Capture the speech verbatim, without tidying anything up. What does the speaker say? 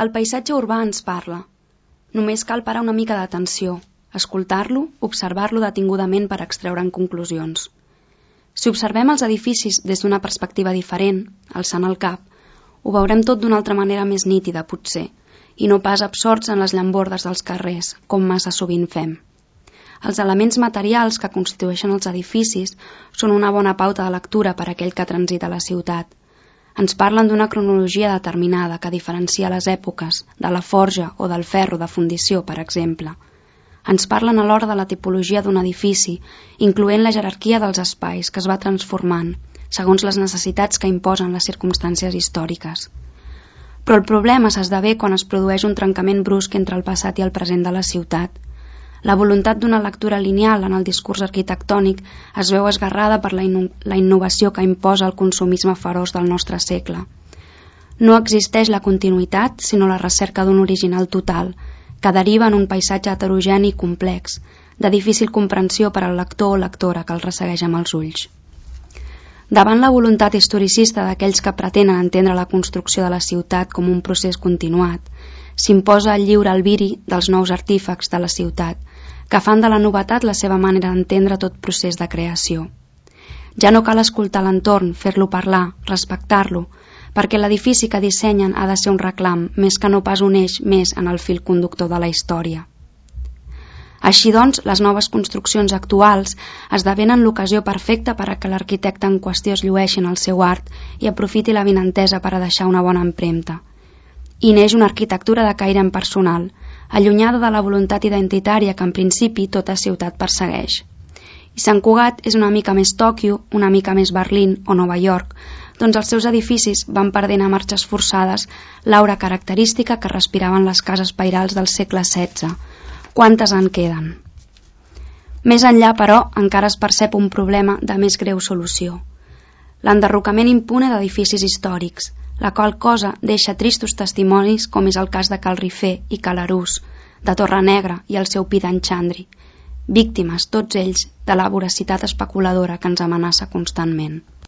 El paisatge urbà ens parla. Només cal parar una mica d'atenció, escoltar-lo, observar-lo detingudament per extreure'n conclusions. Si observem els edificis des d'una perspectiva diferent, alçant el cap, ho veurem tot d'una altra manera més nítida, potser, i no pas absorts en les llambordes dels carrers, com massa sovint fem. Els elements materials que constitueixen els edificis són una bona pauta de lectura per a aquell que transita la ciutat. Ens parlen d'una cronologia determinada que diferencia les èpoques, de la forja o del ferro de fundició, per exemple. Ens parlen alhora de la tipologia d'un edifici, incloent la jerarquia dels espais que es va transformant, segons les necessitats que imposen les circumstàncies històriques. Però el problema s'esdevé quan es produeix un trencament brusc entre el passat i el present de la ciutat. La voluntat d'una lectura lineal en el discurs arquitectònic es veu esgarrada per la, inno la innovació que imposa el consumisme feroç del nostre segle. No existeix la continuïtat, sinó la recerca d'un original total, que deriva en un paisatge heterogeni i complex, de difícil comprensió per al lector o lectora que el ressegueix amb els ulls. Davant la voluntat historicista d'aquells que pretenen entendre la construcció de la ciutat com un procés continuat, s'imposa el lliure albiri dels nous artífecs de la ciutat, que fan de la novetat la seva manera d'entendre tot procés de creació. Ja no cal escoltar l'entorn, fer-lo parlar, respectar-lo, perquè l'edifici que dissenyen ha de ser un reclam, més que no pas un eix més en el fil conductor de la història. Així doncs, les noves construccions actuals esdevenen l'ocasió perfecta per a que l'arquitecte en qüestió es llueixi en el seu art i aprofiti la vinentesa per a deixar una bona empremta. I neix una arquitectura de caire impersonal, allunyada de la voluntat identitària que en principi tota ciutat persegueix. I Sant Cugat és una mica més Tòquio, una mica més Berlín o Nova York, doncs els seus edificis van perdent a marxes forçades l'aura característica que respiraven les cases pairals del segle setze. Quantes en queden? Més enllà, però, encara es percep un problema de més greu solució. L'enderrocament impune d'edificis històrics, la qual cosa deixa tristos testimonis com és el cas de Cal Rifé i Cal Arús, de Torrenegra i el seu pi d'en Xandri, víctimes, tots ells, de la voracitat especuladora que ens amenaça constantment.